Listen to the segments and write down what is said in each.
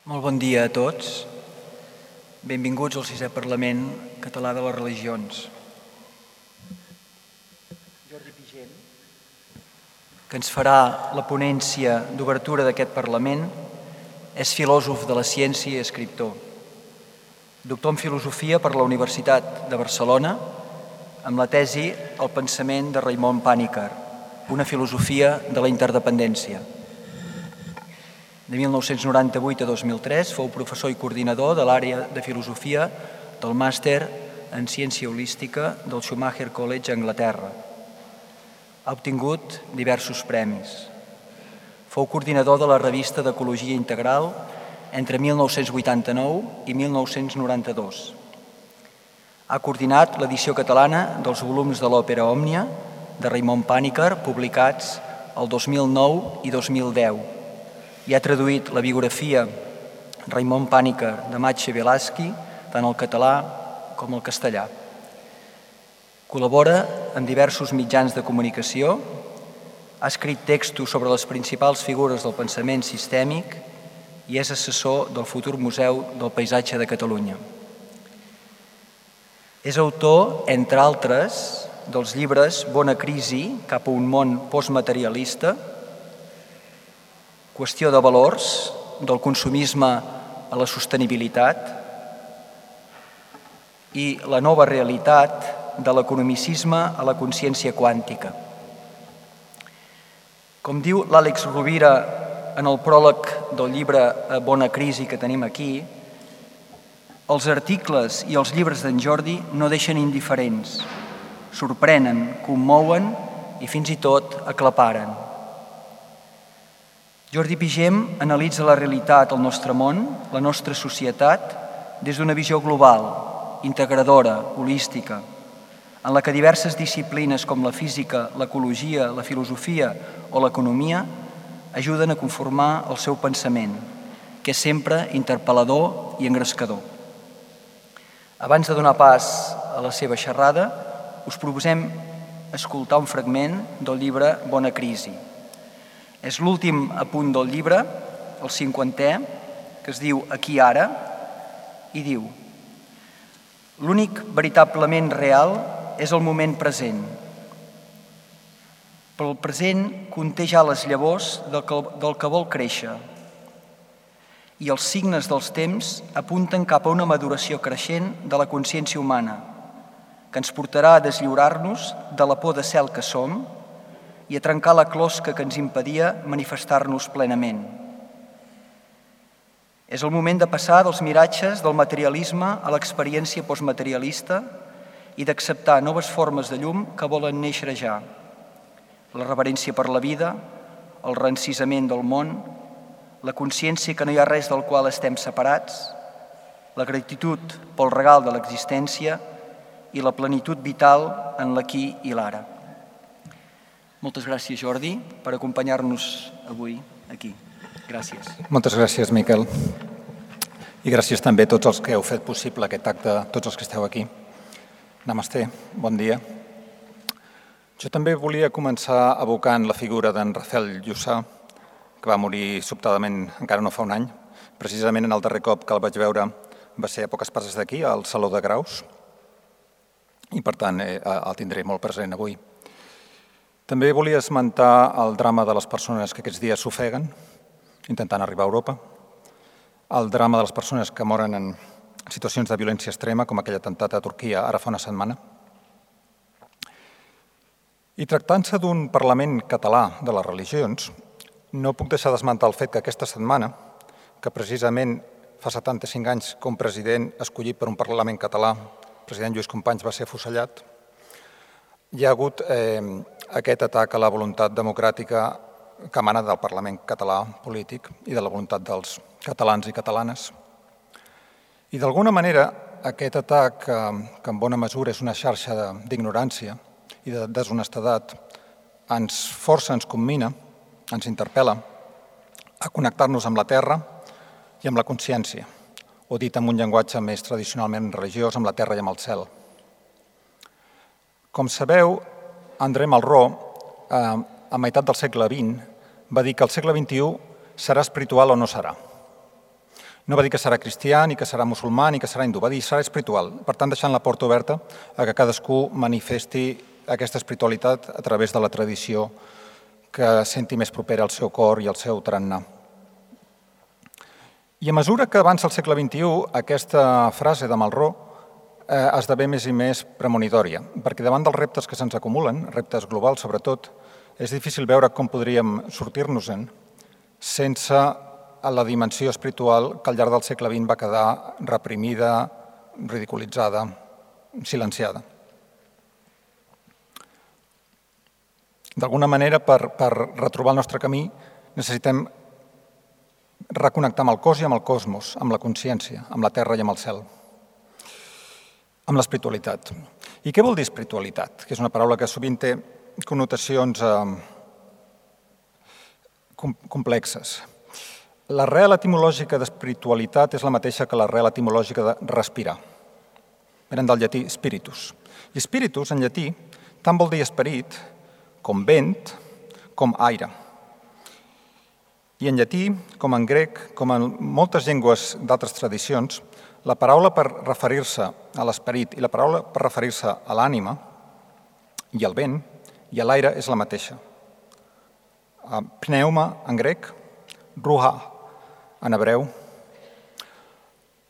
Molt bon dia a tots. Benvinguts al 6è Parlament Català de les Religions. Jordi Pigem, que ens farà la ponència d'obertura d'aquest Parlament, és filòsof de la ciència i escriptor. Doctor en Filosofia per la Universitat de Barcelona, amb la tesi El pensament de Raimon Panikkar, una filosofia de la interdependència. De 1998 a 2003 fou professor i coordinador de l'àrea de filosofia del màster en ciència holística del Schumacher College a Anglaterra. Ha obtingut diversos premis. Fou coordinador de la revista d'Ecologia Integral entre 1989 i 1992. Ha coordinat l'edició catalana dels volums de l'òpera Òmnia de Raimon Panikkar, publicats el 2009 i 2010. I ha traduït la biografia Raimon Panikkar de Maciej Wielaszki tant al català com al castellà. Col·labora en diversos mitjans de comunicació, ha escrit textos sobre les principals figures del pensament sistèmic i és assessor del futur Museu del Paisatge de Catalunya. És autor, entre altres, dels llibres Bona crisi cap a un món postmaterialista, Qüestió de valors, del consumisme a la sostenibilitat i La nova realitat, de l'economicisme a la consciència quàntica. Com diu l'Àlex Rovira en el pròleg del llibre Bona crisi que tenim aquí, els articles i els llibres d'en Jordi no deixen indiferents, sorprenen, commouen i fins i tot aclaparen. Jordi Pigem analitza la realitat al nostre món, la nostra societat, des d'una visió global, integradora, holística, en la que diverses disciplines com la física, l'ecologia, la filosofia o l'economia ajuden a conformar el seu pensament, que és sempre interpel·lador i engrescador. Abans de donar pas a la seva xerrada, us proposem escoltar un fragment del llibre Bona crisi. És l'últim apunt del llibre, el 50è, que es diu Aquí ara, i diu: l'únic veritablement real és el moment present. Però el present conté ja les llavors del que vol créixer i els signes dels temps apunten cap a una maduració creixent de la consciència humana que ens portarà a deslliurar-nos de la por de ser el que som i a trencar la closca que ens impedia manifestar-nos plenament. És el moment de passar dels miratges del materialisme a l'experiència postmaterialista i d'acceptar noves formes de llum que volen néixer ja. La reverència per la vida, el reencisament del món, la consciència que no hi ha res del qual estem separats, la gratitud pel regal de l'existència i la plenitud vital en l'aquí i l'ara. Moltes gràcies, Jordi, per acompanyar-nos avui aquí. Gràcies. Moltes gràcies, Miquel. I gràcies també a tots els que heu fet possible aquest acte, tots els que esteu aquí. Namasté, bon dia. Jo també volia començar evocant la figura d'en Rafael Llussà, que va morir sobtadament encara no fa un any. Precisament en el darrer cop que el vaig veure va ser a poques passes d'aquí, al Saló de Graus, i per tant el tindré molt present avui. També volia esmentar el drama de les persones que aquests dies s'ofeguen, intentant arribar a Europa, el drama de les persones que moren en situacions de violència extrema, com aquell atemptat a Turquia ara fa una setmana. I tractant-se d'un Parlament català de les religions, no puc deixar d'esmentar el fet que aquesta setmana, que precisament fa 75 anys que un president escollit per un Parlament català, el president Lluís Companys, va ser afusellat, hi ha hagut aquest atac a la voluntat democràtica que emana del Parlament català polític i de la voluntat dels catalans i catalanes. I d'alguna manera aquest atac, que en bona mesura és una xarxa d'ignorància i de deshonestedat, ens força, ens commina, ens interpel·la a connectar-nos amb la terra i amb la consciència, o dit amb un llenguatge més tradicionalment religiós, amb la terra i amb el cel. Com sabeu, André Malraux, a meitat del segle XX, va dir que el segle XXI serà espiritual o no serà. No va dir que serà cristià, ni que serà musulmà, ni que serà hindú, va dir serà espiritual. Per tant, deixant la porta oberta a que cadascú manifesti aquesta espiritualitat a través de la tradició que senti més propera al seu cor i al seu tarannà. I a mesura que avança el segle XXI, aquesta frase de Malraux esdevé més i més premonitòria, perquè davant dels reptes que se'ns acumulen, reptes globals sobretot, és difícil veure com podríem sortir-nos-en sense la dimensió espiritual que al llarg del segle XX va quedar reprimida, ridiculitzada, silenciada. D'alguna manera, per retrobar el nostre camí, necessitem reconnectar amb el cos i amb el cosmos, amb la consciència, amb la terra i amb el cel, amb l'espiritualitat. I què vol dir espiritualitat? Que és una paraula que sovint té connotacions complexes. L'arrel etimològica d'espiritualitat és la mateixa que l'arrel etimològica de respirar. Venen del llatí spiritus. I spiritus, en llatí, tant vol dir esperit, com vent, com aire. I en llatí, com en grec, com en moltes llengües d'altres tradicions, la paraula per referir-se a l'esperit i la paraula per referir-se a l'ànima i al vent i a l'aire és la mateixa. Pneuma en grec, ruha en hebreu.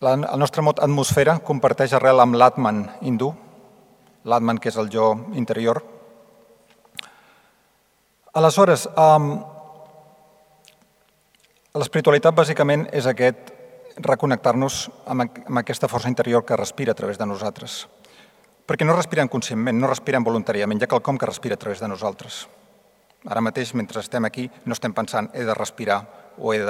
El nostre mot atmosfera comparteix arrel amb l'Atman hindú, l'Atman que és el jo interior. Aleshores, l'espiritualitat bàsicament és aquest reconnectar-nos amb aquesta força interior que respira a través de nosaltres. Perquè no respirem conscientment, no respirem voluntàriament, hi ha quelcom que respira a través de nosaltres. Ara mateix, mentre estem aquí, no estem pensant he de respirar o he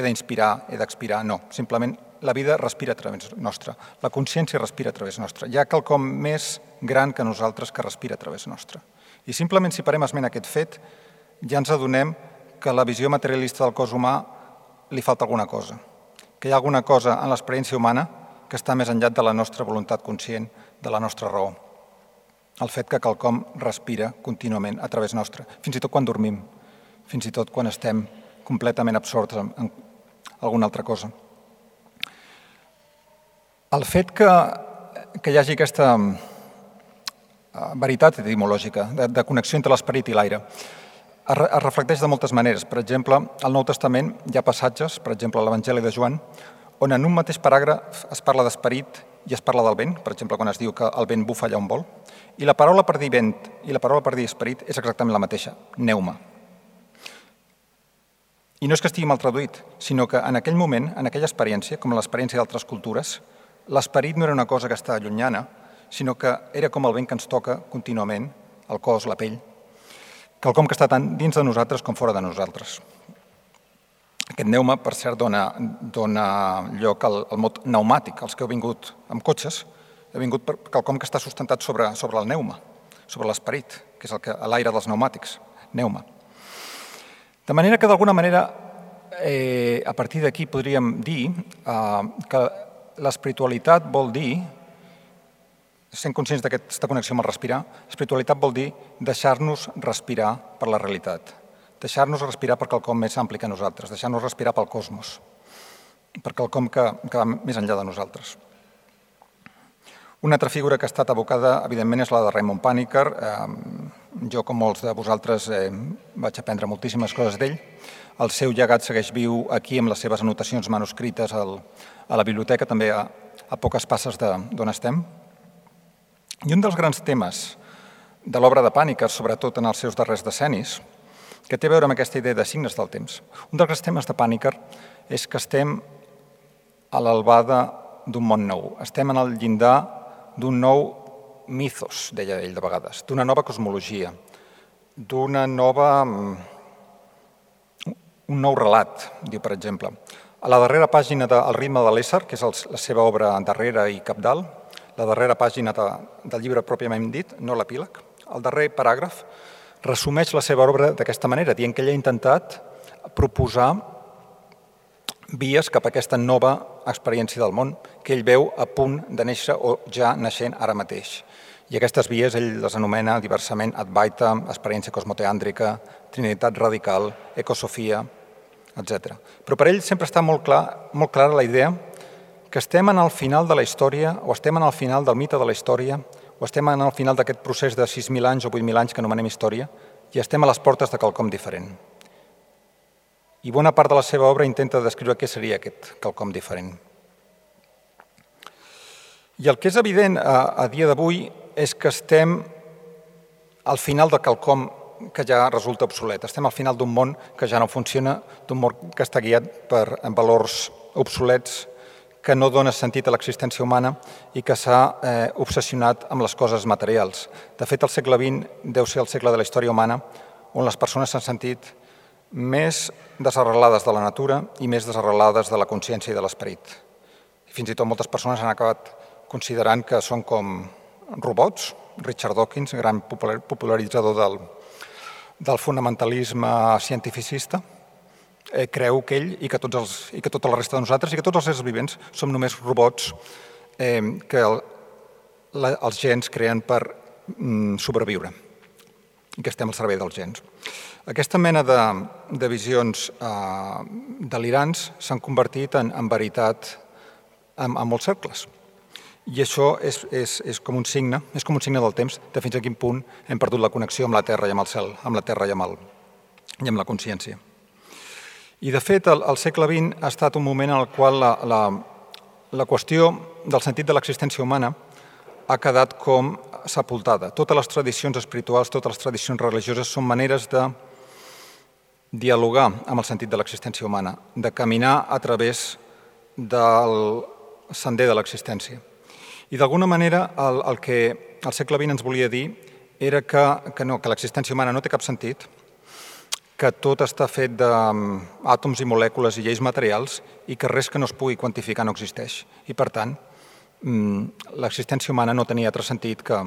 d'inspirar, he d'expirar, no. Simplement la vida respira a través nostre, la consciència respira a través nostre. Hi ha quelcom més gran que nosaltres que respira a través nostre. I simplement si parem esment a aquest fet, ja ens adonem que a la visió materialista del cos humà li falta alguna cosa, que hi ha alguna cosa en l'experiència humana que està més enllà de la nostra voluntat conscient, de la nostra raó. El fet que quelcom respira contínuament a través nostre, fins i tot quan dormim, fins i tot quan estem completament absorts en alguna altra cosa. El fet que hi hagi aquesta veritat etimològica de connexió entre l'esperit i l'aire es reflecteix de moltes maneres. Per exemple, al Nou Testament hi ha passatges, per exemple, a l'Evangeli de Joan, on en un mateix paràgraf es parla d'esperit i es parla del vent, per exemple, quan es diu que el vent bufa allà on vol, i la paraula per dir vent i la paraula per dir esperit és exactament la mateixa, pneuma. I no és que estigui mal traduït, sinó que en aquell moment, en aquella experiència, com en l'experiència d'altres cultures, l'esperit no era una cosa que està llunyana, sinó que era com el vent que ens toca contínuament, el cos, la pell, quelcom que està tant dins de nosaltres com fora de nosaltres. Aquest pneuma, per cert, dona lloc al mot pneumàtic. Els que heu vingut amb cotxes, heu vingut per quelcom que està sustentat sobre el pneuma, sobre l'esperit, que és l'aire dels pneumàtics, pneuma. De manera que, d'alguna manera, a partir d'aquí podríem dir que l'espiritualitat vol dir, sent conscients d'aquesta connexió amb el respirar, espiritualitat vol dir deixar-nos respirar per la realitat, deixar-nos respirar per quelcom més ampli que nosaltres, deixar-nos respirar pel cosmos, per quelcom que va més enllà de nosaltres. Una altra figura que ha estat evocada, evidentment, és la de Raymond Panikkar. Jo, com molts de vosaltres, vaig aprendre moltíssimes coses d'ell. El seu llegat segueix viu aquí amb les seves anotacions manuscrites a la biblioteca, també a poques passes d'on estem. I un dels grans temes de l'obra de Panikkar, sobretot en els seus darrers decennis, que té a veure amb aquesta idea de signes del temps. Un dels grans temes de Panikkar és que estem a l'albada d'un món nou. Estem en el llindar d'un nou mythos, deia ell de vegades, d'una nova cosmologia, un nou relat, diu per exemple. A la darrera pàgina d'El ritme de l'ésser, que és la seva obra darrera i cabdal, la darrera pàgina del llibre pròpiament dit, no l'epíleg, el darrer paràgraf resumeix la seva obra d'aquesta manera, dient que ell ha intentat proposar vies cap a aquesta nova experiència del món que ell veu a punt de néixer o ja naixent ara mateix. I aquestes vies ell les anomena diversament Advaita, experiència cosmoteàndrica, trinitat radical, ecosofia, etc. Però per ell sempre està molt clara la idea que estem en el final de la història o estem en el final del mite de la història o estem en el final d'aquest procés de 6.000 anys o 8.000 anys que anomenem història i estem a les portes de quelcom diferent. I bona part de la seva obra intenta descriure què seria aquest quelcom diferent. I el que és evident a dia d'avui és que estem al final de quelcom que ja resulta obsolet. Estem al final d'un món que ja no funciona, d'un món que està guiat per valors obsolets, que no dona sentit a l'existència humana i que s'ha obsessionat amb les coses materials. De fet, el segle XX deu ser el segle de la història humana on les persones s'han sentit més desarrelades de la natura i més desarrelades de la consciència i de l'esperit. Fins i tot moltes persones han acabat considerant que són com robots. Richard Dawkins, gran popularitzador del fonamentalisme cientificista, creu que ell i que tota la resta de nosaltres i que tots els éssers vivents som només robots que els gens creen per sobreviure i que estem al servei dels gens. Aquesta mena de visions delirants s'han convertit en veritat en molts cercles. I això és com un signe del temps de fins a quin punt hem perdut la connexió amb la Terra i amb el cel, amb la Terra i amb la consciència. I, de fet, el segle XX ha estat un moment en el qual la qüestió del sentit de l'existència humana ha quedat com sepultada. Totes les tradicions espirituals, totes les tradicions religioses són maneres de dialogar amb el sentit de l'existència humana, de caminar a través del sender de l'existència. I, d'alguna manera, el que el segle XX ens volia dir era que l'existència humana no té cap sentit, que tot està fet d'àtoms i molècules i lleis materials i que res que no es pugui quantificar no existeix. I, per tant, l'existència humana no tenia altre sentit que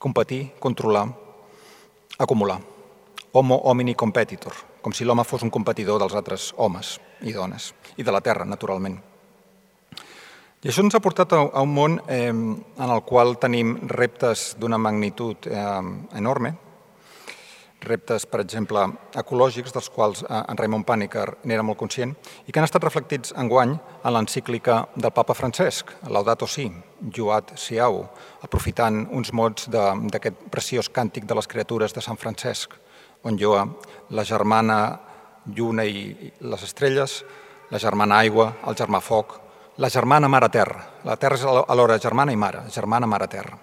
competir, controlar, acumular. Homo homini competitor, com si l'home fos un competidor dels altres homes i dones, i de la Terra, naturalment. I això ens ha portat a un món en el qual tenim reptes d'una magnitud enorme, reptes, per exemple, ecològics, dels quals en Raymond Panikkar n'era molt conscient, i que han estat reflectits enguany en l'encíclica del papa Francesc, Laudato Si, Juat Siau, aprofitant uns mots d'aquest preciós càntic de les criatures de Sant Francesc, on lloa la germana lluna i les estrelles, la germana aigua, el germà foc, la germana mare terra. La terra és alhora germana i mare, germana mare terra.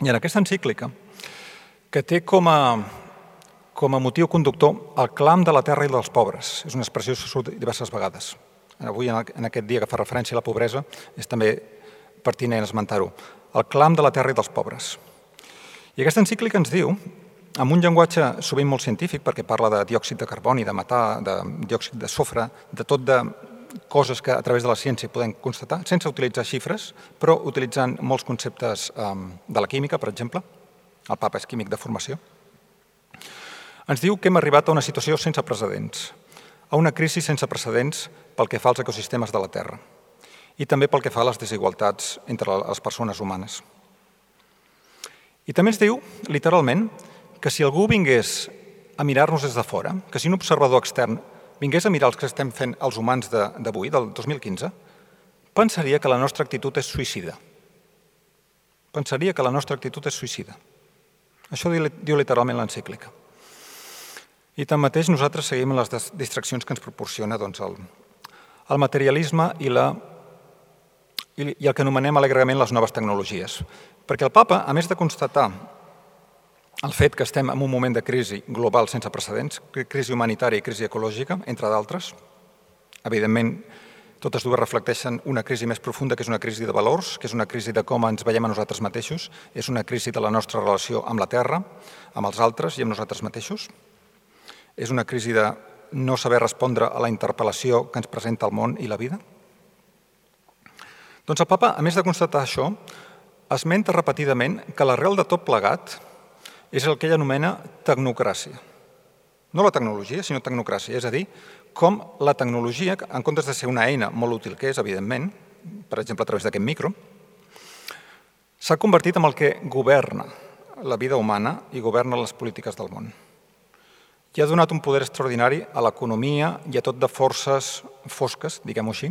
I en aquesta encíclica, que té com a motiu conductor el clam de la terra i dels pobres. És una expressió que surt diverses vegades. Avui, en aquest dia que fa referència a la pobresa, és també pertinent esmentar-ho. El clam de la terra i dels pobres. I aquesta encíclica ens diu, amb un llenguatge sovint molt científic, perquè parla de diòxid de carboni, de metà, de diòxid de sofre, de tot de coses que a través de la ciència podem constatar, sense utilitzar xifres, però utilitzant molts conceptes de la química, per exemple. El papa és químic de formació. Ens diu que hem arribat a una situació sense precedents, a una crisi sense precedents pel que fa als ecosistemes de la Terra i també pel que fa a les desigualtats entre les persones humanes. I també ens diu, literalment, que si algú vingués a mirar-nos des de fora, que si un observador extern vingués a mirar els que estem fent els humans d'avui, del 2015, pensaria que la nostra actitud és suïcida. Pensaria que la nostra actitud és suïcida. Això diu literalment l'encíclica. I tanmateix nosaltres seguim les distraccions que ens proporciona el materialisme i el que anomenem alegrement les noves tecnologies. Perquè el papa, a més de constatar el fet que estem en un moment de crisi global sense precedents, crisi humanitària i crisi ecològica, entre d'altres, evidentment, totes dues reflecteixen una crisi més profunda, que és una crisi de valors, que és una crisi de com ens veiem a nosaltres mateixos, és una crisi de la nostra relació amb la Terra, amb els altres i amb nosaltres mateixos. És una crisi de no saber respondre a la interpel·lació que ens presenta el món i la vida. Doncs el papa, a més de constatar això, esmenta repetidament que l'arrel de tot plegat és el que ell anomena tecnocràcia. No la tecnologia, sinó tecnocràcia, és a dir, com la tecnologia, en comptes de ser una eina molt útil que és, evidentment, per exemple, a través d'aquest micro, s'ha convertit en el que governa la vida humana i governa les polítiques del món. i ha donat un poder extraordinari a l'economia i a tot de forces fosques, diguem-ho així,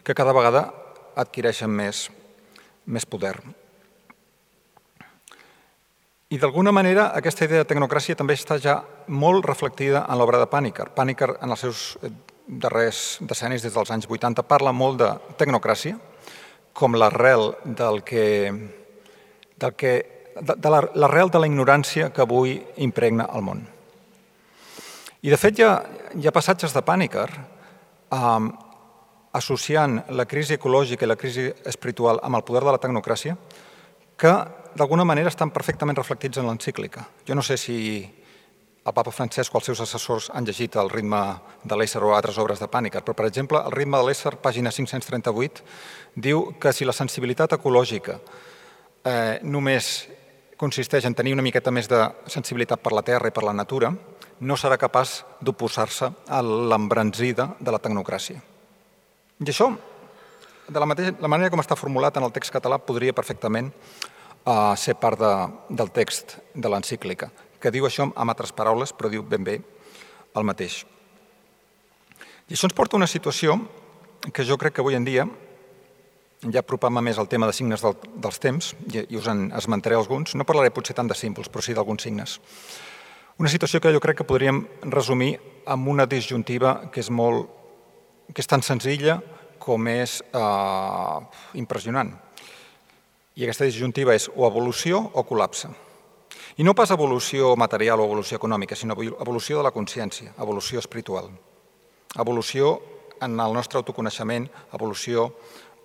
que cada vegada adquireixen més poder. I d'alguna manera aquesta idea de tecnocràcia també està ja molt reflectida en l'obra de Panikkar. Panikkar en els seus darrers decennis, des dels anys 80, parla molt de tecnocràcia com l'arrel l'arrel de la ignorància que avui impregna el món. I de fet hi ha passatges de Panikkar associant la crisi ecològica i la crisi espiritual amb el poder de la tecnocràcia que d'alguna manera estan perfectament reflectits en l'encíclica. Jo no sé si el papa Francesc o els seus assessors han llegit El ritme de l'ésser o altres obres de Panikkar, però, per exemple, El ritme de l'ésser, pàgina 538, diu que si la sensibilitat ecològica només consisteix en tenir una miqueta més de sensibilitat per la terra i per la natura, no serà capaç d'oposar-se a l'embranzida de la tecnocràcia. I això, de la manera com està formulat en el text català, podria perfectament ser part del text de l'encíclica, que diu això amb altres paraules, però diu ben bé el mateix. I això ens porta a una situació que jo crec que avui en dia, ja apropant-me més al tema de signes dels temps, i us en esmentaré alguns, no parlaré potser tant de símbols, però sí d'alguns signes. Una situació que jo crec que podríem resumir amb una disjuntiva que és tan senzilla com és impressionant. I aquesta disjuntiva és o evolució o col·lapse. I no pas evolució material o evolució econòmica, sinó evolució de la consciència, evolució espiritual, evolució en el nostre autoconeixement, evolució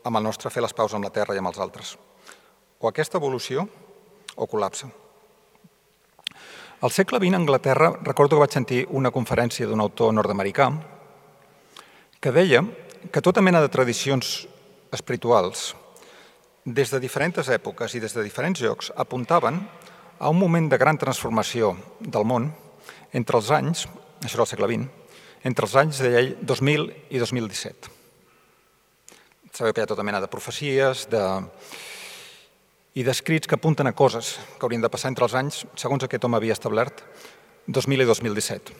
amb el nostre fer les paus amb la terra i amb els altres. O aquesta evolució o col·lapse. Al segle XX, a Anglaterra, recordo que vaig sentir una conferència d'un autor nord-americà que deia que tota mena de tradicions espirituals, des de diferents èpoques i des de diferents llocs, apuntaven a un moment de gran transformació del món entre els anys, això era el segle XX, entre els anys de 2000 i 2017. Sabeu que hi ha tota mena de profecies i d'escrits que apunten a coses que haurien de passar entre els anys, segons aquest home havia establert, 2000 i 2017.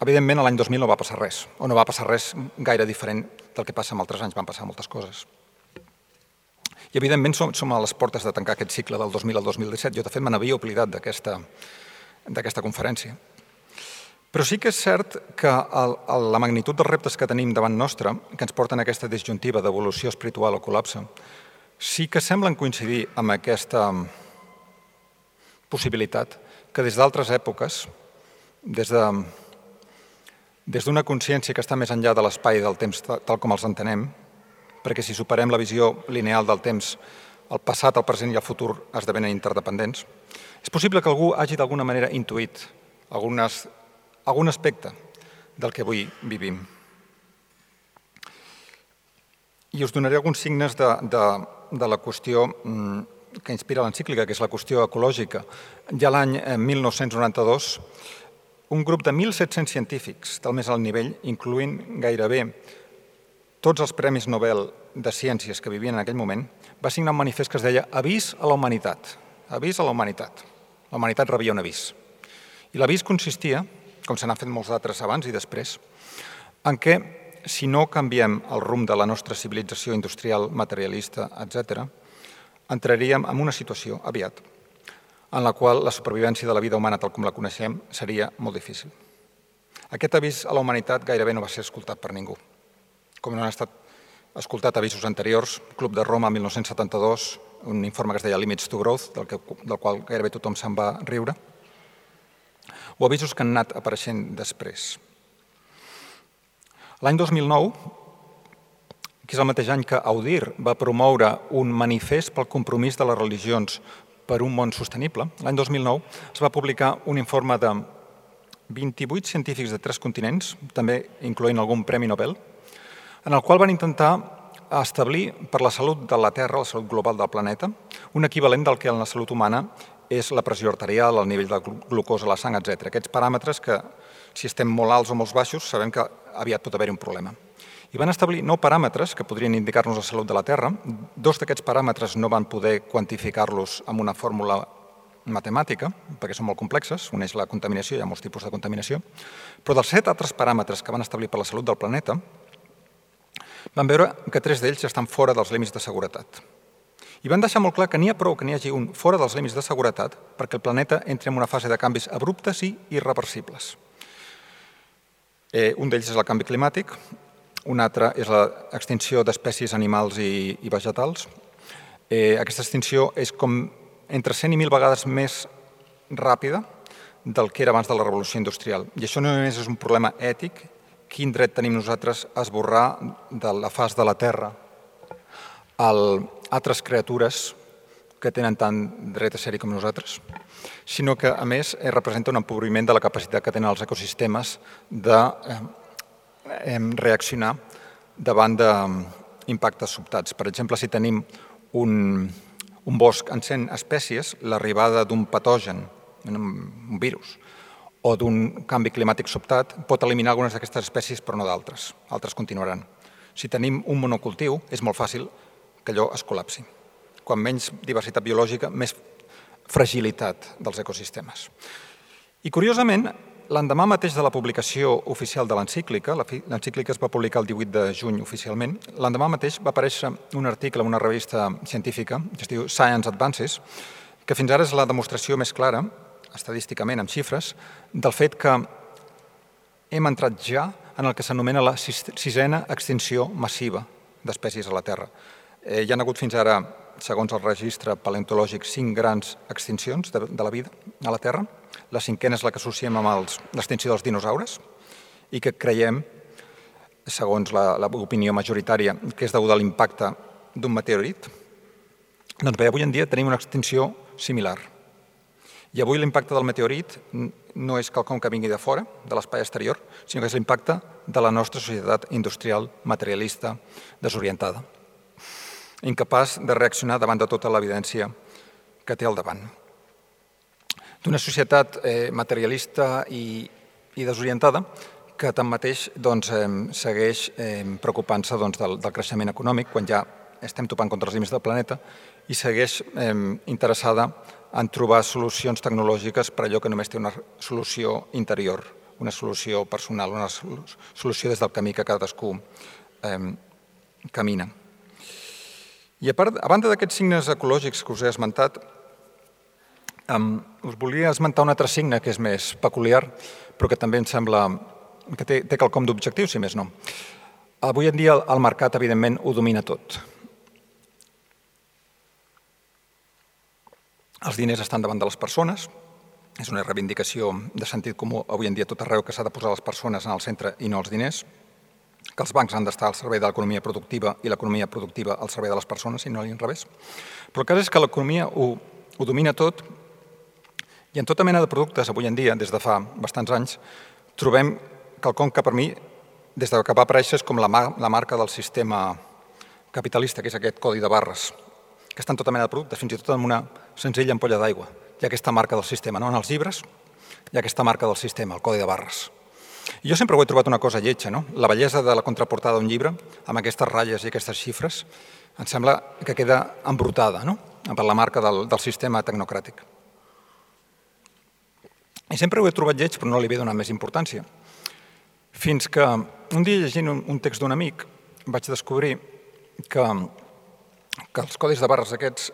Evidentment, l'any 2000 no va passar res, o no va passar res gaire diferent del que passa en altres anys, van passar moltes coses. I, evidentment, som a les portes de tancar aquest cicle del 2000 al 2017. Jo, de fet, me n'havia oblidat d'aquesta conferència. Però sí que és cert que la magnitud dels reptes que tenim davant nostre, que ens porten a aquesta disjuntiva d'evolució espiritual o col·lapse, sí que semblen coincidir amb aquesta possibilitat que des d'altres èpoques, des d'una consciència que està més enllà de l'espai i del temps tal com els entenem, perquè si superem la visió lineal del temps, el passat, el present i el futur esdevenen interdependents, és possible que algú hagi d'alguna manera intuït algun aspecte del que avui vivim. I us donaré alguns signes de la qüestió que inspira l'encíclica, que és la qüestió ecològica. Ja l'any 1992, un grup de 1.700 científics del més alt nivell, incloent gairebé tots els premis Nobel de Ciències que vivien en aquell moment, va signar un manifest que es deia Avís a la humanitat. Avís a la humanitat. La humanitat rebia un avís. I l'avís consistia, com se n'han fet molts d'altres abans i després, en què si no canviem el rumb de la nostra civilització industrial, materialista, etc., entraríem en una situació, aviat, en la qual la supervivència de la vida humana tal com la coneixem seria molt difícil. Aquest avís a la humanitat gairebé no va ser escoltat per ningú. Com no han estat escoltat avisos anteriors, Club de Roma, 1972, un informe que es deia Limits to Growth, del qual gairebé tothom se'n va riure, o avisos que han anat apareixent després. L'any 2009, que és el mateix any que Audir va promoure un manifest pel compromís de les religions per un món sostenible, l'any 2009 es va publicar un informe de 28 científics de 3 continents, també incloent algun premi Nobel, en el qual van intentar establir per la salut de la Terra, la salut global del planeta, un equivalent del que en la salut humana és la pressió arterial, el nivell de glucosa a la sang, etc. Aquests paràmetres que, si estem molt alts o molt baixos, sabem que aviat pot haver-hi un problema. I van establir 9 paràmetres que podrien indicar-nos la salut de la Terra. 2 d'aquests paràmetres no van poder quantificar-los amb una fórmula matemàtica, perquè són molt complexes, un és la contaminació, hi ha molts tipus de contaminació, però dels 7 altres paràmetres que van establir per la salut del planeta, van veure que 3 d'ells estan fora dels límits de seguretat. I van deixar molt clar que n'hi ha prou que n'hi hagi un fora dels límits de seguretat perquè el planeta entri en una fase de canvis abruptes i irreversibles. Un d'ells és el canvi climàtic, un altre és l'extinció d'espècies animals i vegetals. Aquesta extinció és com entre 100 i 1.000 vegades més ràpida del que era abans de la revolució industrial. I això no només és un problema ètic, quin dret tenim nosaltres a esborrar de la faç de la Terra altres criatures que tenen tant dret a ser-hi com nosaltres, sinó que, a més, representa un empobriment de la capacitat que tenen els ecosistemes de reaccionar davant d'impactes sobtats. Per exemple, si tenim un bosc en 100 espècies, l'arribada d'un patogen, un virus, o d'un canvi climàtic sobtat pot eliminar algunes d'aquestes espècies però no d'altres. Altres continuaran. Si tenim un monocultiu, és molt fàcil que allò es col·lapsi. Quan menys diversitat biològica, més fragilitat dels ecosistemes. I, curiosament, l'endemà mateix de la publicació oficial de l'encíclica, l'encíclica es va publicar el 18 de juny oficialment, l'endemà mateix va aparèixer un article en una revista científica que es diu Science Advances, que fins ara és la demostració més clara, estadísticament, amb xifres, del fet que hem entrat ja en el que s'anomena la 6a extinció massiva d'espècies a la Terra. Hi ha hagut fins ara, segons el registre paleontològic, 5 grans extincions de la vida a la Terra. La 5a és la que associem amb l'extinció dels dinosaures i que creiem, segons l'opinió majoritària, que és deguda a l'impacte d'un meteorit. Doncs bé, avui en dia tenim una extinció similar. I avui l'impacte del meteorit no és quelcom que vingui de fora, de l'espai exterior, sinó que és l'impacte de la nostra societat industrial, materialista, desorientada, incapaç de reaccionar davant de tota l'evidència que té al davant. D'una societat materialista i desorientada que tanmateix segueix preocupant-se del creixement econòmic quan ja estem topant contra els límits del planeta i segueix interessada en trobar solucions tecnològiques per allò que només té una solució interior, una solució personal, una solució des del camí que cadascú camina. I a banda d'aquests signes ecològics que us he esmentat, us volia esmentar un altre signe que és més peculiar, però que també em sembla que té quelcom d'objectiu, si més no. Avui en dia el mercat, evidentment, ho domina tot. Els diners estan davant de les persones, és una reivindicació de sentit comú avui en dia tot arreu que s'ha de posar les persones en el centre i no els diners, que els bancs han d'estar al servei de l'economia productiva i l'economia productiva al servei de les persones i no a l'inrevés. Però el cas és que l'economia ho domina tot i en tota mena de productes avui en dia, des de fa bastants anys, trobem quelcom que per mi, des que va aparèixer, és com la marca del sistema capitalista, que és aquest codi de barres, que està en tota mena de productes, fins i tot en una senzilla ampolla d'aigua. Hi ha aquesta marca del sistema, no? En els llibres hi ha aquesta marca del sistema, el codi de barres. I jo sempre ho he trobat una cosa lletja, no? La bellesa de la contraportada d'un llibre, amb aquestes ratlles i aquestes xifres, em sembla que queda embrutada, no? Per la marca del sistema tecnocràtic. I sempre ho he trobat lleig, però no li he donat més importància. Fins que un dia, llegint un text d'un amic, vaig descobrir que els codis de barres aquests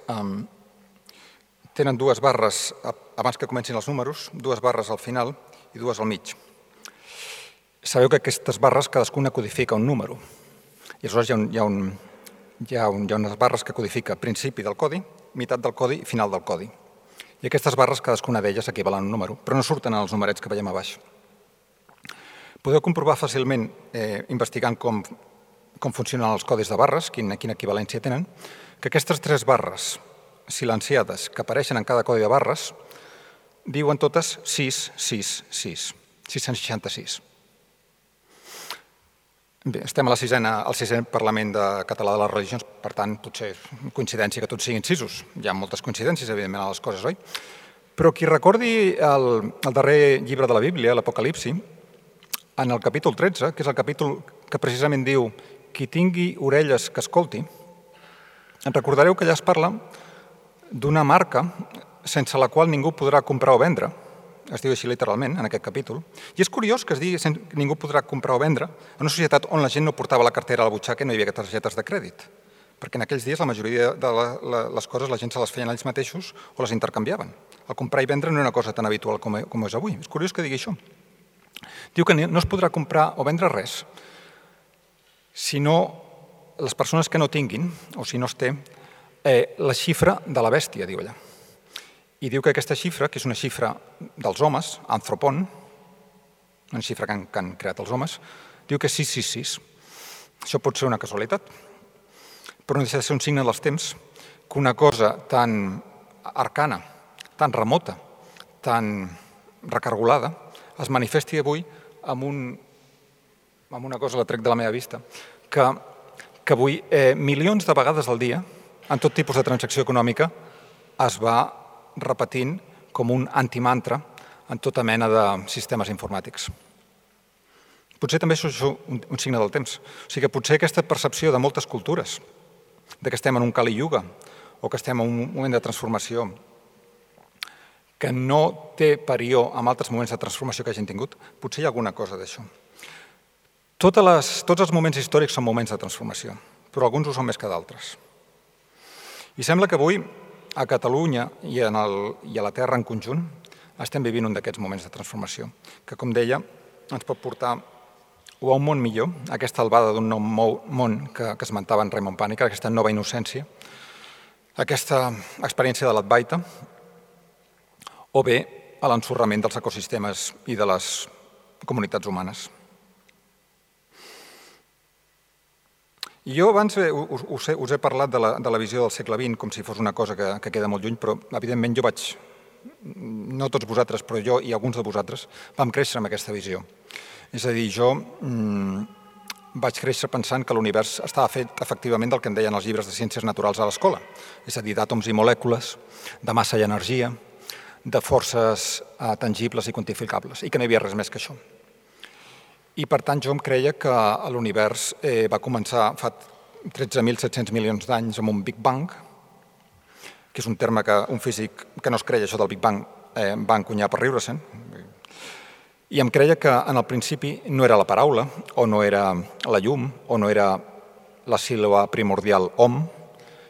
tenen 2 barres abans que comencin els números, 2 barres al final i 2 al mig. Sabeu que aquestes barres cadascuna codifica un número. I aleshores hi ha unes barres que codifica principi del codi, meitat del codi i final del codi. I aquestes barres, cadascuna d'elles equivalen a un número, però no surten en els numerets que veiem a baix. Podeu comprovar fàcilment, investigant com funcionen els codis de barres, quina equivalència tenen, que aquestes 3 barres silenciades que apareixen en cada codi de barres diuen totes 666, 666. Bé, estem al 6è Parlament Català de les Religions, per tant, potser coincidència que tots siguin 6. Hi ha moltes coincidències, evidentment, a les coses, oi? Però qui recordi el darrer llibre de la Bíblia, l'Apocalipsi, en el capítol 13, que és el capítol que precisament diu «Qui tingui orelles que escolti», en recordareu que allà es parla d'una marca sense la qual ningú podrà comprar o vendre, es diu així literalment en aquest capítol, i és curiós que es digui ningú podrà comprar o vendre en una societat on la gent no portava la cartera a la butxaca i no hi havia targetes de crèdit, perquè en aquells dies la majoria de les coses la gent se les feien ells mateixos o les intercanviaven. El comprar i vendre no era una cosa tan habitual com és avui. És curiós que digui això. Diu que no es podrà comprar o vendre res si no les persones que no tinguin, o si no es té, la xifra de la bèstia, diu allà. I diu que aquesta xifra, que és una xifra dels homes, anthropon, una xifra que han creat els homes, diu que és 666. Això pot ser una casualitat, però no deixa de ser un signe dels temps que una cosa tan arcana, tan remota, tan recargolada, es manifesti avui amb una cosa, la trec de la meva vista, que avui milions de vegades al dia, en tot tipus de transacció econòmica, es va repetint com un antimantra en tota mena de sistemes informàtics. Potser també això és un signe del temps. O sigui que potser aquesta percepció de moltes cultures, de que estem en un Kali Yuga o que estem en un moment de transformació que no té parió amb altres moments de transformació que hagin tingut, potser hi ha alguna cosa d'això. Tots els moments històrics són moments de transformació, però alguns ho són més que d'altres. I sembla que avui a Catalunya i a la Terra en conjunt estem vivint un d'aquests moments de transformació, que, com deia, ens pot portar o a un món millor, aquesta albada d'un nou món que esmentava en Raymond Panikkar, aquesta nova innocència, aquesta experiència de l'Advaita, o bé a l'ensorrament dels ecosistemes i de les comunitats humanes. Jo abans us he parlat de la visió del segle XX com si fos una cosa que queda molt lluny, però evidentment jo no tots vosaltres, però jo i alguns de vosaltres vam créixer amb aquesta visió. És a dir, jo vaig créixer pensant que l'univers estava fet efectivament del que em deien els llibres de ciències naturals a l'escola, és a dir, d'àtoms i molècules, de massa i energia, de forces tangibles i quantificables, i que no hi havia res més que això. I, per tant, jo em creia que l'univers va començar fa 13.700 milions d'anys amb un Big Bang, que és un terme que un físic que no es creia això del Big Bang va encunyar per riure-se'n. I em creia que en el principi no era la paraula, o no era la llum, o no era la síl·laba primordial om.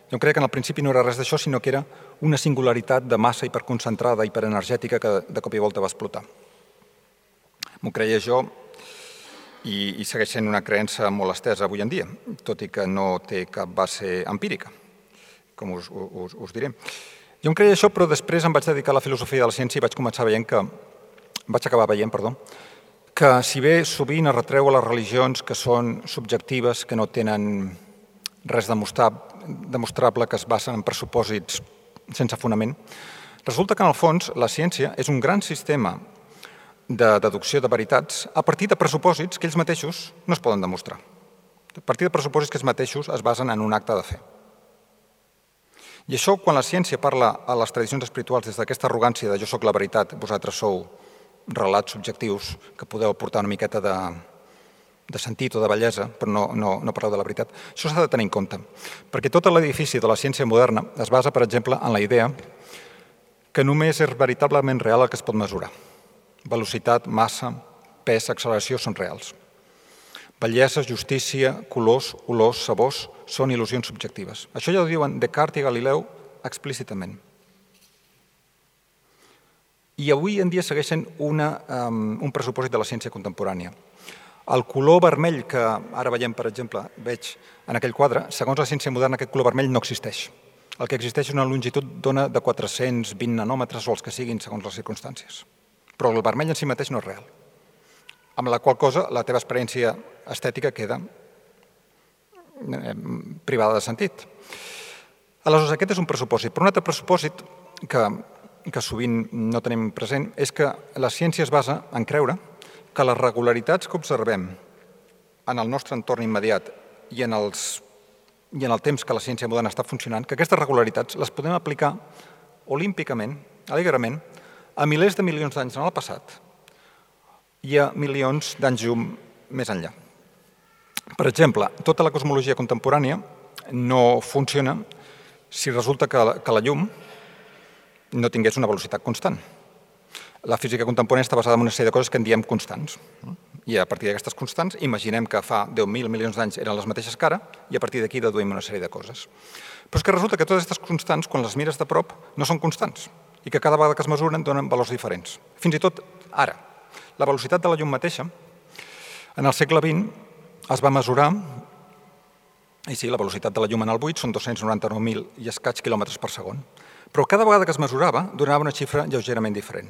Jo em creia que en el principi no era res d'això, sinó que era una singularitat de massa hiperconcentrada, hiperenergètica, que de cop i volta va explotar. M'ho creia jo, i segueix sent una creença molt estesa avui en dia, tot i que no té cap base empírica, com us diré. Jo em creia això, però després em vaig dedicar a la filosofia de la ciència i vaig acabar veient que si bé sovint es retreu a les religions que són subjectives, que no tenen res demostrable, que es basen en pressupòsits sense fonament, resulta que en el fons la ciència és un gran sistema de deducció de veritats a partir de pressupòsits que ells mateixos no es poden demostrar. A partir de pressupòsits que ells mateixos es basen en un acte de fe. I això, quan la ciència parla a les tradicions espirituals des d'aquesta arrogància de jo sóc la veritat, vosaltres sou relats subjectius que podeu aportar una miqueta de sentit o de bellesa, però no parleu de la veritat, això s'ha de tenir en compte. Perquè tot l'edifici de la ciència moderna es basa, per exemple, en la idea que només és veritablement real el que es pot mesurar. Velocitat, massa, pes, acceleració són reals. Bellesa, justícia, colors, olors, sabors són il·lusions subjectives. Això ja ho diuen Descartes i Galileu explícitament. I avui en dia segueix sent un pressupòsit de la ciència contemporània. El color vermell que ara veiem, per exemple, veig en aquell quadre, segons la ciència moderna aquest color vermell no existeix. El que existeix és una longitud d'ona de 420 nanòmetres o els que siguin segons les circumstàncies. Però el vermell en si mateix no és real. Amb la qual cosa la teva experiència estètica queda privada de sentit. Aleshores, aquest és un pressupòsit. Però un altre pressupòsit que sovint no tenim present és que la ciència es basa en creure que les regularitats que observem en el nostre entorn immediat i en el temps que la ciència moderna està funcionant, que aquestes regularitats les podem aplicar olímpicament, alegrement, a milers de milions d'anys en el passat i a milions d'anys llum més enllà. Per exemple, tota la cosmologia contemporània no funciona si resulta que la llum no tingués una velocitat constant. La física contemporània està basada en una sèrie de coses que en diem constants. I a partir d'aquestes constants, imaginem que fa 10.000 milions d'anys eren les mateixes que ara, i a partir d'aquí deduïm una sèrie de coses. Però és que resulta que totes aquestes constants, quan les mires de prop, no són constants, i que cada vegada que es mesuren donen valors diferents. Fins i tot ara. La velocitat de la llum mateixa, en el segle XX, es va mesurar, i sí, la velocitat de la llum en el buit són 299.000 i escaig quilòmetres per segon, però cada vegada que es mesurava donava una xifra lleugerament diferent.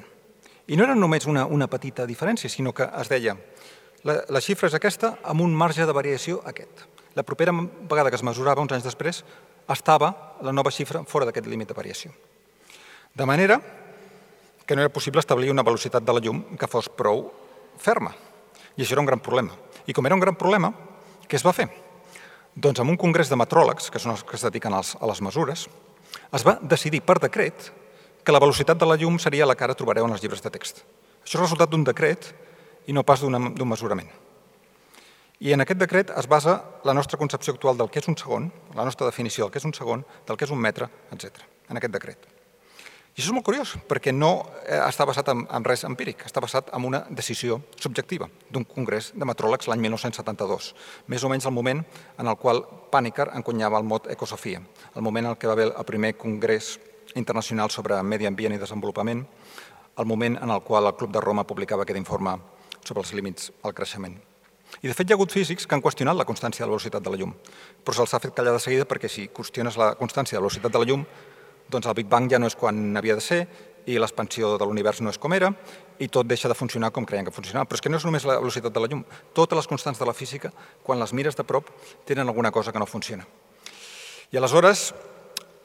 I no era només una petita diferència, sinó que es deia la xifra és aquesta amb un marge de variació aquest. La propera vegada que es mesurava, uns anys després, estava la nova xifra fora d'aquest límit de variació. De manera que no era possible establir una velocitat de la llum que fos prou ferma. I això era un gran problema. I com era un gran problema, què es va fer? Doncs en un congrés de metròlegs, que són els que es dediquen a les mesures, es va decidir per decret que la velocitat de la llum seria la que ara trobareu en els llibres de text. Això és el resultat d'un decret i no pas d'un mesurament. I en aquest decret es basa la nostra concepció actual del que és un segon, la nostra definició del que és un segon, del que és un metre, etc. en aquest decret. I això és molt curiós, perquè no està basat en res empíric, està basat en una decisió subjectiva d'un congrés de metròlegs l'any 1972, més o menys el moment en el qual Panikkar encunyava el mot ecosofia, el moment en què va haver el primer congrés internacional sobre medi ambient i desenvolupament, el moment en el qual el Club de Roma publicava aquest informe sobre els límits al creixement. I de fet hi ha hagut físics que han qüestionat la constància de la velocitat de la llum, però se'ls ha fet callar de seguida perquè si qüestiones la constància de la velocitat de la llum, doncs el Big Bang ja no és quan havia de ser i l'expansió de l'univers no és com era i tot deixa de funcionar com creien que funcionava. Però és que no és només la velocitat de la llum. Totes les constants de la física, quan les mires de prop, tenen alguna cosa que no funciona. I aleshores,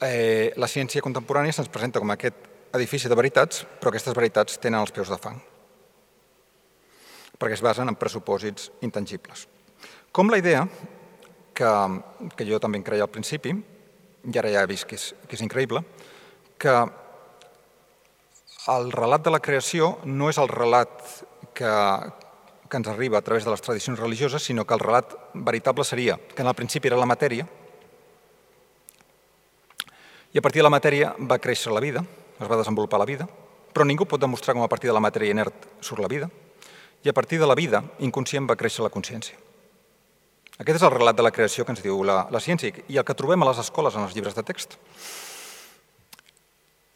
la ciència contemporània se'ns presenta com aquest edifici de veritats, però aquestes veritats tenen els peus de fang, perquè es basen en pressupòsits intangibles. Com la idea, que jo també en creia al principi, i ara ja he vist que és increïble, que el relat de la creació no és el relat que ens arriba a través de les tradicions religioses, sinó que el relat veritable seria que en el principi era la matèria i a partir de la matèria va créixer la vida, es va desenvolupar la vida, però ningú pot demostrar com a partir de la matèria inert surt la vida i a partir de la vida inconscient va créixer la consciència. Aquest és el relat de la creació que ens diu la ciència i el que trobem a les escoles en els llibres de text.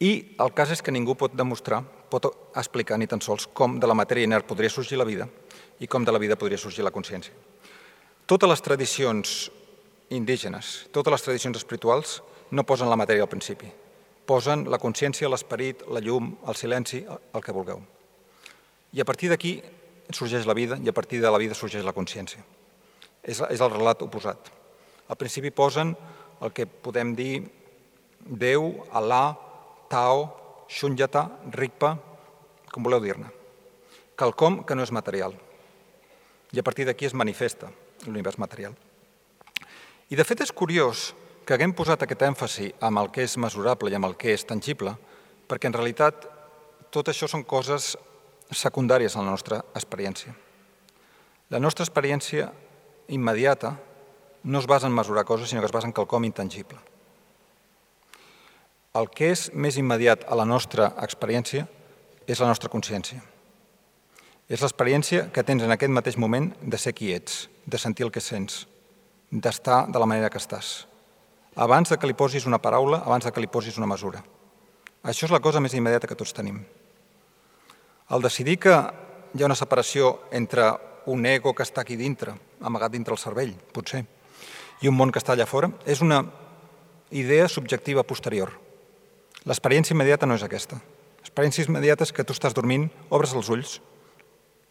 I el cas és que ningú pot demostrar, pot explicar ni tan sols com de la matèria inert podria sorgir la vida i com de la vida podria sorgir la consciència. Totes les tradicions indígenes, totes les tradicions espirituals no posen la matèria al principi. Posen la consciència, l'esperit, la llum, el silenci, el que vulgueu. I a partir d'aquí sorgeix la vida i a partir de la vida sorgeix la consciència. És el relat oposat. Al principi posen el que podem dir Déu, Alà, Tao, Shunyata, Rigpa, com voleu dir-ne. Quelcom que no és material. I a partir d'aquí es manifesta l'univers material. I de fet és curiós que haguem posat aquest èmfasi amb el que és mesurable i amb el que és tangible, perquè en realitat tot això són coses secundàries a la nostra experiència. La nostra experiència immediata no es basa en mesurar coses, sinó que es basa en quelcom intangible. El que és més immediat a la nostra experiència és la nostra consciència. És l'experiència que tens en aquest mateix moment de ser qui ets, de sentir el que sents, d'estar de la manera que estàs. Abans que li posis una paraula, abans que li posis una mesura. Això és la cosa més immediata que tots tenim. El decidir que hi ha una separació entre un ego que està aquí dintre, amagat dintre el cervell, potser, i un món que està allà fora, és una idea subjectiva posterior. L'experiència immediata no és aquesta. L'experiència immediata és que tu estàs dormint, obres els ulls,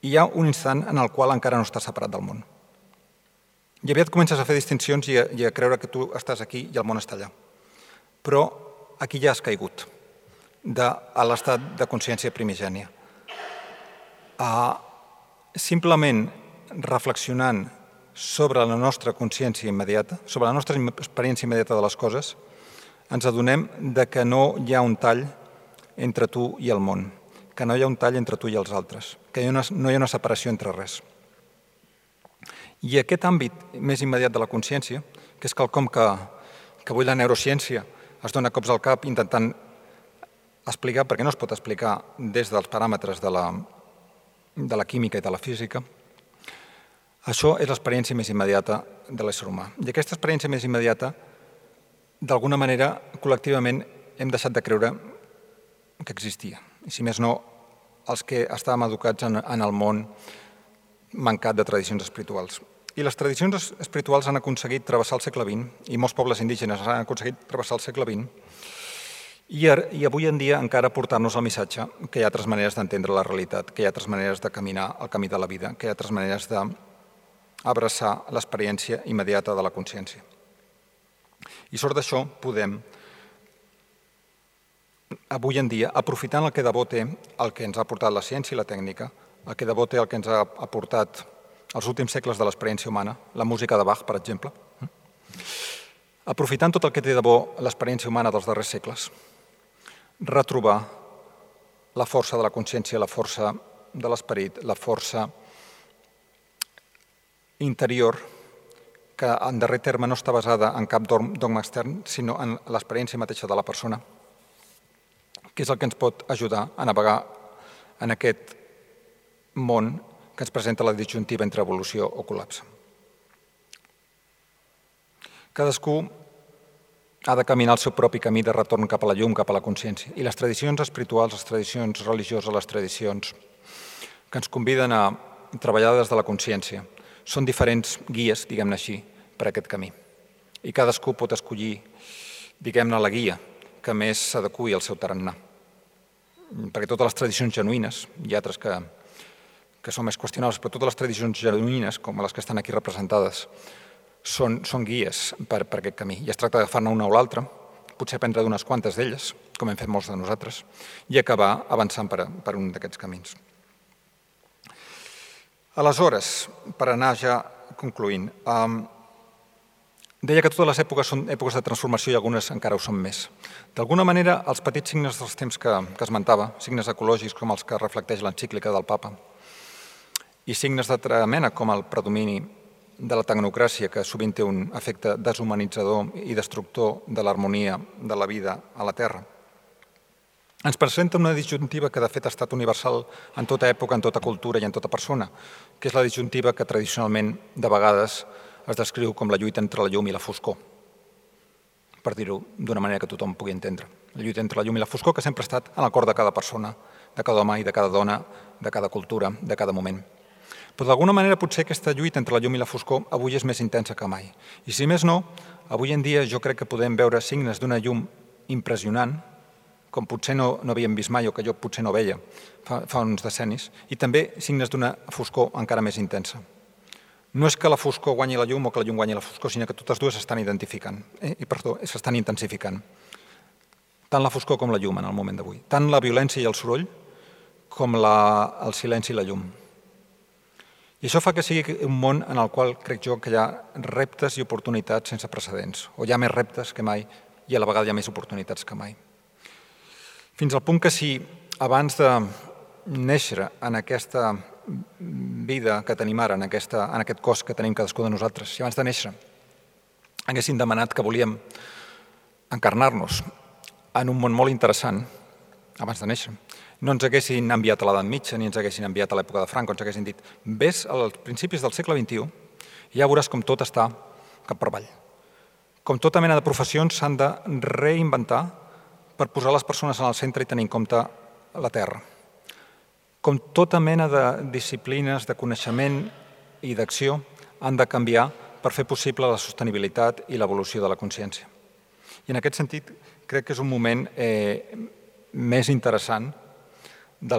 i hi ha un instant en el qual encara no estàs separat del món. I aviat comences a fer distincions i a creure que tu estàs aquí i el món està allà. Però aquí ja has caigut a l'estat de consciència primigènia. Simplement reflexionant sobre la nostra consciència immediata, sobre la nostra experiència immediata de les coses, ens adonem que no hi ha un tall entre tu i el món, que no hi ha un tall entre tu i els altres, que no hi ha una separació entre res. I aquest àmbit més immediat de la consciència, que és quelcom que avui la neurociència es dona cops al cap intentant explicar, perquè no es pot explicar des dels paràmetres de la química i de la física, això és l'experiència més immediata de l'ésser humà. I aquesta experiència més immediata, d'alguna manera, col·lectivament, hem deixat de creure que existia. I si més no, els que estàvem educats en el món mancat de tradicions espirituals. I les tradicions espirituals han aconseguit travessar el segle XX, i molts pobles indígenes han aconseguit travessar el segle XX, i avui en dia encara portar-nos el missatge que hi ha altres maneres d'entendre la realitat, que hi ha altres maneres de caminar el camí de la vida, que hi ha altres maneres d'abraçar l'experiència immediata de la consciència. I sort d'això podem, avui en dia, aprofitant el que de bo té el que ens ha portat la ciència i la tècnica, el que de bo té el que ens ha aportat els últims segles de l'experiència humana, la música de Bach, per exemple, aprofitant tot el que té de bo l'experiència humana dels darrers segles, retrobar la força de la consciència, la força de l'esperit, la força interior, que en darrer terme no està basada en cap dogma extern, sinó en l'experiència mateixa de la persona, que és el que ens pot ajudar a navegar en aquest món que ens presenta la disjuntiva entre evolució o col·lapse. Cadascú ha de caminar el seu propi camí de retorn cap a la llum, cap a la consciència. I les tradicions espirituals, les tradicions religioses, les tradicions que ens conviden a treballar des de la consciència són diferents guies, diguem-ne així, per a aquest camí. I cadascú pot escollir, diguem-ne, la guia que més s'adequi al seu tarannà. Perquè totes les tradicions genuïnes, hi ha altres que són més qüestionables, però totes les tradicions genuïnes, com les que estan aquí representades, són guies per aquest camí. I es tracta d'agafar-ne una o l'altra, potser aprendre d'unes quantes d'elles, com hem fet molts de nosaltres, i acabar avançant per un d'aquests camins. Aleshores, per anar ja concloent, deia que totes les èpoques són èpoques de transformació i algunes encara ho són més. D'alguna manera, els petits signes dels temps que esmentava, signes ecològics com els que reflecteix l'encíclica del Papa, i signes d'altra mena, com el predomini de la tecnocràcia, que sovint té un efecte deshumanitzador i destructor de l'harmonia de la vida a la Terra, ens presenta una disjuntiva que de fet ha estat universal en tota època, en tota cultura i en tota persona, que és la disjuntiva que tradicionalment de vegades es descriu com la lluita entre la llum i la foscor, per dir-ho d'una manera que tothom pugui entendre. La lluita entre la llum i la foscor que sempre ha estat en el cor de cada persona, de cada home i de cada dona, de cada cultura, de cada moment. Però d'alguna manera potser aquesta lluita entre la llum i la foscor avui és més intensa que mai. I si més no, avui en dia jo crec que podem veure signes d'una llum impressionant, com potser no havíem vist mai o que jo potser no veia fa uns decennis, i també signes d'una foscor encara més intensa. No és que la foscor guanyi la llum o que la llum guanyi la foscor, sinó que totes dues s'estan s'estan intensificant. Tant la foscor com la llum en el moment d'avui. Tant la violència i el soroll com el silenci i la llum. I això fa que sigui un món en el qual crec jo que hi ha reptes i oportunitats sense precedents, o hi ha més reptes que mai i a la vegada hi ha més oportunitats que mai. Fins al punt que si abans de néixer en aquesta vida que tenim ara, en aquest cos que tenim cadascú de nosaltres, si abans de néixer haguessin demanat que volíem encarnar-nos en un món molt interessant, abans de néixer, no ens haguessin enviat a l'edat mitja, ni ens haguessin enviat a l'època de Franco, ens haguessin dit vés als principis del segle XXI i ja veuràs com tot està cap per avall. Com tota mena de professions s'han de reinventar per posar les persones en el centre i tenir en compte la Terra. Com tota mena de disciplines de coneixement i d'acció han de canviar per fer possible la sostenibilitat i l'evolució de la consciència. I en aquest sentit crec que és un moment més interessant de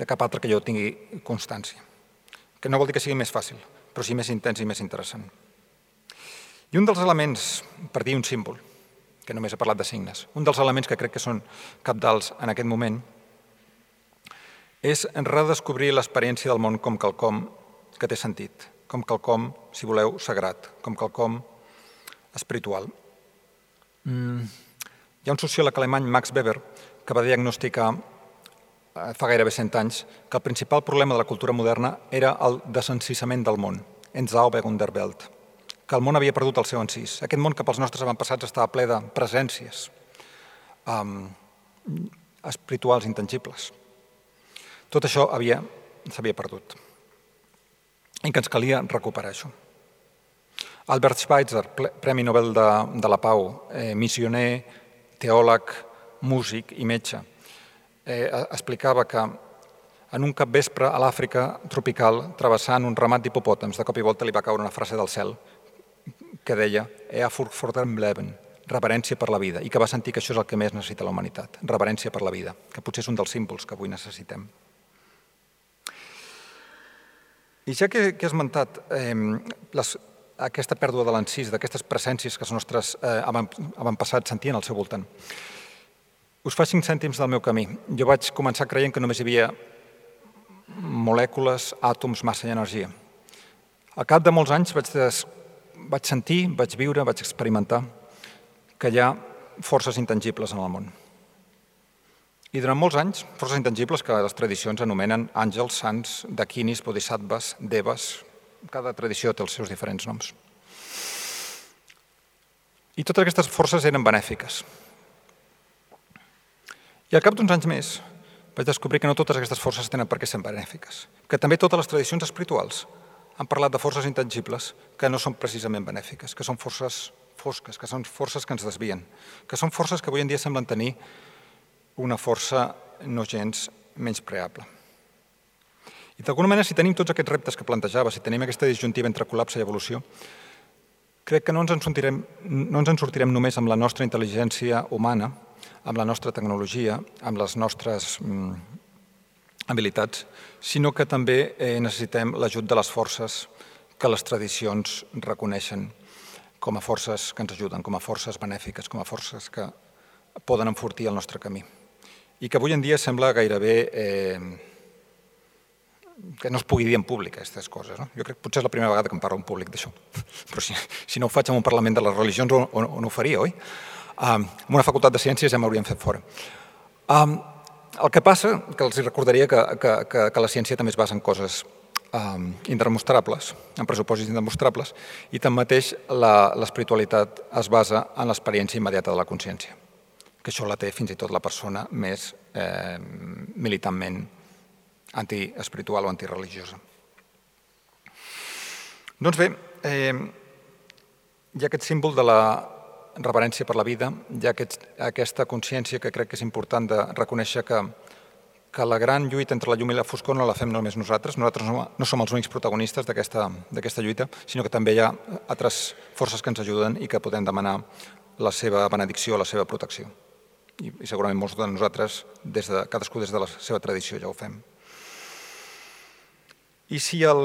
cap altre que jo tingui constància. Que no vol dir que sigui més fàcil, però sí més intens i més interessant. I un dels elements, per dir un símbol, que només he parlat de signes, un dels elements que crec que són cabdals en aquest moment, és redescobrir l'experiència del món com quelcom que té sentit, com quelcom, si voleu, sagrat, com quelcom espiritual. Hi ha un sociòleg alemany, Max Weber, que va diagnosticar fa gairebé 100 anys que el principal problema de la cultura moderna era el desencissament del món, Entsaubung der Welt, que el món havia perdut el seu encís. Aquest món que pels nostres avantpassats estava ple de presències espirituals intangibles. Tot això s'havia perdut i que ens calia recuperar això. Albert Schweitzer, Premi Nobel de la Pau, missioner, teòleg, músic i metge, explicava que en un capvespre a l'Àfrica tropical, travessant un ramat d'hipopòtams, de cop i volta li va caure una frase del cel que deia Ehrfurcht vor dem Leben, reverència per la vida, i que va sentir que això és el que més necessita la humanitat, reverència per la vida, que potser és un dels símbols que avui necessitem. I ja que he esmentat aquesta pèrdua de l'encís, d'aquestes presències que els nostres avantpassats sentien al seu voltant, us fa 5 cèntims del meu camí. Jo vaig començar creient que només hi havia molècules, àtoms, massa i energia. Al cap de molts anys vaig sentir, vaig viure, vaig experimentar que hi ha forces intangibles en el món. I durant molts anys, forces intangibles que les tradicions anomenen àngels, sants, dakinis, bodhisattvas, devas. Cada tradició té els seus diferents noms. I totes aquestes forces eren benèfiques. I al cap d'uns anys més vaig descobrir que no totes aquestes forces tenen per què ser benèfiques, que també totes les tradicions espirituals han parlat de forces intangibles que no són precisament benèfiques, que són forces fosques, que són forces que ens desvien, que són forces que avui en dia semblen tenir una força no gens menyspreable. I d'alguna manera, si tenim tots aquests reptes que plantejava, si tenim aquesta disjuntiva entre col·lapse i evolució, crec que no ens en sortirem només amb la nostra intel·ligència humana, amb la nostra tecnologia, amb les nostres habilitats, sinó que també necessitem l'ajut de les forces que les tradicions reconeixen com a forces que ens ajuden, com a forces benèfiques, com a forces que poden enfortir el nostre camí. I que avui en dia sembla gairebé que no es pugui dir en públic aquestes coses. Jo crec que potser és la primera vegada que em parlo en públic d'això, però si no ho faig en un Parlament de les religions no ho faria, oi? En una facultat de ciències ja m'haurien fet fora. El que passa, que els recordaria que la ciència també es basa en coses indemostrables, en pressupòsits indemostrables, i tanmateix l'espiritualitat es basa en l'experiència immediata de la consciència, que això la té fins i tot la persona més militantment antiespiritual o antireligiosa. Doncs bé, hi ha aquest símbol de la reverència per la vida, hi ha aquesta consciència que crec que és important de reconèixer que la gran lluita entre la llum i la foscor no la fem només nosaltres no som els únics protagonistes d'aquesta lluita, sinó que també hi ha altres forces que ens ajuden i que podem demanar la seva benedicció, la seva protecció. I segurament molts de nosaltres, cadascú des de la seva tradició, ja ho fem. I si el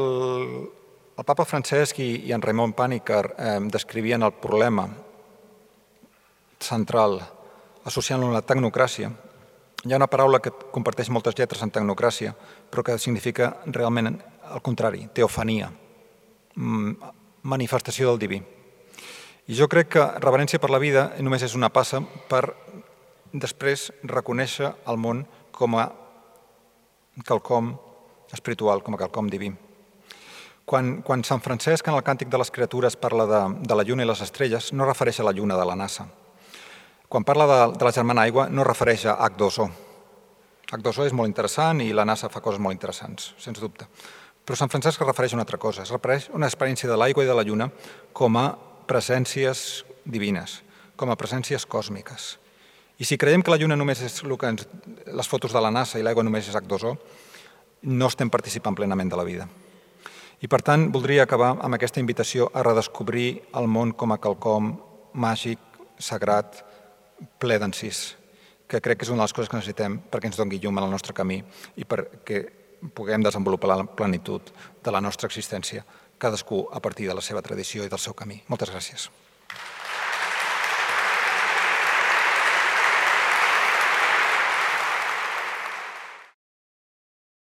papa Francesc i en Raymond Panikkar descrivien el problema central associant-lo a la tecnocràcia, hi ha una paraula que comparteix moltes lletres en tecnocràcia, però que significa realment el contrari, teofania, manifestació del diví. I jo crec que reverència per la vida només és una passa per després reconèixer el món com a quelcom espiritual, com a quelcom diví. Quan Sant Francesc en el Càntic de les Criatures parla de la lluna i les estrelles, no refereix a la lluna de la NASA. Quan parla de la germana aigua, no refereix a H2O. H2O és molt interessant i la NASA fa coses molt interessants, sens dubte. Però Sant Francesc es refereix a una altra cosa, es refereix a una experiència de l'aigua i de la lluna com a presències divines, com a presències còsmiques. I si creiem que la lluna només és les fotos de la NASA i l'aigua només és H2O, no estem participant plenament de la vida. I per tant, voldria acabar amb aquesta invitació a redescobrir el món com a quelcom màgic, sagrat, ple d'encís, que crec que és una de les coses que necessitem perquè ens doni llum en el nostre camí i perquè puguem desenvolupar la plenitud de la nostra existència, cadascú a partir de la seva tradició i del seu camí. Moltes gràcies.